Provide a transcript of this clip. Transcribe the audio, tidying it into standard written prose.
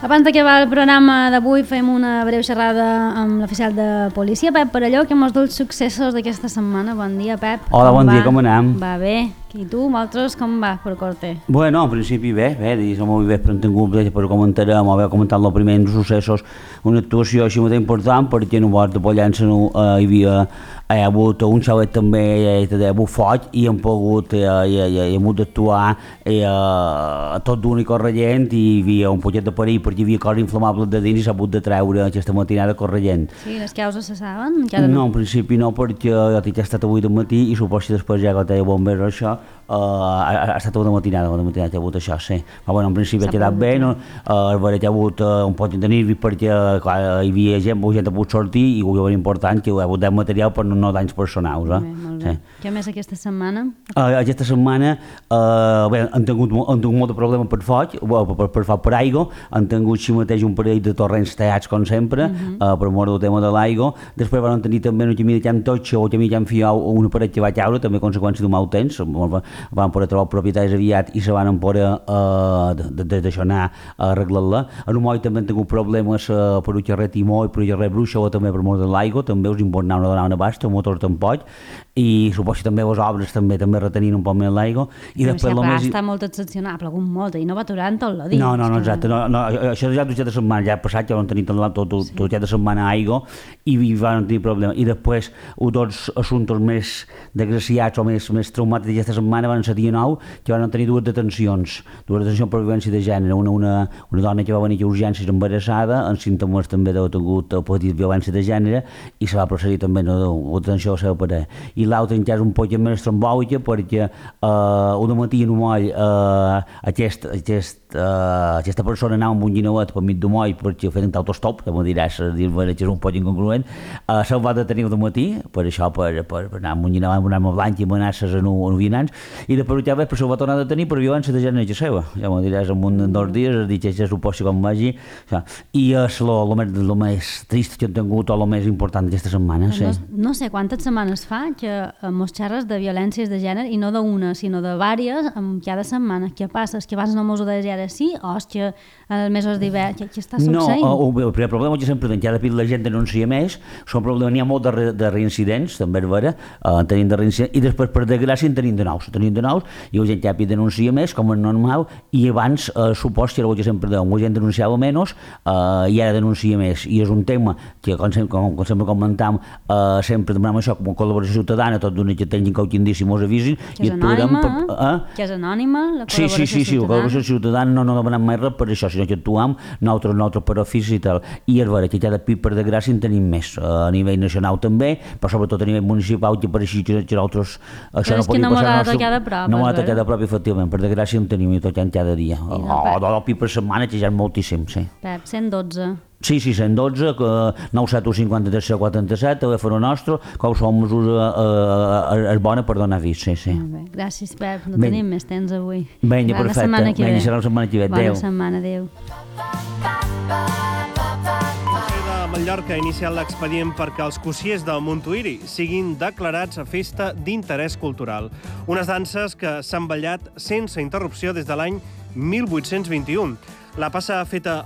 Abans d'acabar el programa d'avui fem una breu xerrada amb l'oficial de policia, Pep Parelló, que mos du els successos d'aquesta setmana. Bon dia, Pep. Hola, bon dia, com anem? Va bé. I tu, vosaltres, com va per Corte? Bueno, en principi bé, som molt bé, però hem tingut, per comentarem, haver comentat els primers successos, una actuació així molt important, perquè en un bord de Pollença hi ha hagut un xalet també, hi ha hagut foc, i hem pogut, hem hagut d'actuar tot d'un i corrent, i hi havia un poquet de perill, perquè hi havia coses inflamables de dins i s'ha hagut de treure aquesta matinada corrent. Sí, les causes se saben? No, en principi no, perquè ja he estat avui del matí i suposo que després ja que deia bombers o això, ha estat una matinada que ha hagut això, sí. Però bueno, en principi ha quedat bé, no? Hi ha hagut un poc de nervis perquè hi havia gent ha pogut sortir i ho era important que hi ha hagut material per no danys personals. Molt bé. Què més aquesta setmana? Aquesta setmana han tingut molt de problemes per foc, per aigua, han tingut així mateix un parell de torrents tallats com sempre, per mort del tema de l'aigua. Després van tenir també un camí de Can Totxo o camí de Can Fiau, una paret que va caure, també a conseqüència d'un mal temps, van poder trobar els propietaris aviat i se van poder deixar anar a arreglar-la. En un moll també han tingut problemes per un carrer Timó i per un carrer Bruixa o també per mort de l'aigua, també us importava una donar una basta, un motor tampoc, i suposo que també les obres també retenien un poc més l'aigua. Està molt excepcional, ha plegut molt i no va aturar en tot el dia. No, exacte, això ja de setmana, ja ha passat, ja van tenir tot ja de setmana aigua i van tenir problemes. I després, dos assumptes més desgraciats o més traumàtics d'aquesta setmana van ser dia 9, que van tenir dues detencions per violència de gènere. Una dona que va venir a urgències embarassada, amb símptomes també d'haver tingut patit violència de gènere, i se va procedir també a una detenció a la seva parella. I l'altre encara és un poc més trombòlica perquè un matí en un moll aquesta persona anava amb un guineuet per mig d'un moll perquè feien autostop, que m'ho diràs, dir-me que és un poc incongruent, se'l va detenir un matí, per això, per anar amb un guineuet, amb una arma blanca i amenaces a un vianants, i després ja veig, però se'l va tornar a detenir per violència de gènere seva. Ja m'ho diràs, en un dos dies, has dit que ja suposo com vagi. I és el més trist que hem tingut o el més important d'aquesta setmana. No sé quantes setmanes fa que mos xerres de violències de gènere, i no d'una, sinó de vàries, cada setmana. Què passa? És que abans no mos ho deies ara sí, o és que els mesos d'hivern, què està succeint? No, el primer problema que sempre cada dia la gent denuncia més, n'hi ha molt de reincidents, també és vera, tenim de reincidents, i després per desgràcia en tenim de nous, i la gent ja denuncia més, com és normal, i abans supos que era el que sempre deuen, la gent denunciava menys i ara denuncia més, i és un tema que, com sempre comentam, sempre demanem això, com a col·laboració ciutadana, tot d'una que tinguin qualque indici mos avisin. Que és anònima, la col·laboració ciutadana. Sí, la col·laboració ciutadana no demanem mai res per això, sinó que actuem nosaltres per ofici i tal. I és vera que cada pit, per desgràcia, en tenim més, a nivell nacional també, però sobretot a nivell municipal, que per així que nosaltres això no podria passar. No m'ha tocat de prop, efectivament, per desgràcia en tenim i tocant cada dia. O pit per setmana, que ja és moltíssim, sí. Pep, 112. Sí, 112, 971 53 47, telèfon nostre, qualsevol mesura és bona per donar avís, sí. Molt bé, gràcies, Pep, no tenim més temps avui. Vinga, perfecte, serà la setmana que ve. Bona setmana, adéu. Mallorca ha iniciat l'expedient perquè els cossiers del Montuïri siguin declarats a festa d'interès cultural. Unes danses que s'han ballat sense interrupció des de l'any 1821. La passa feta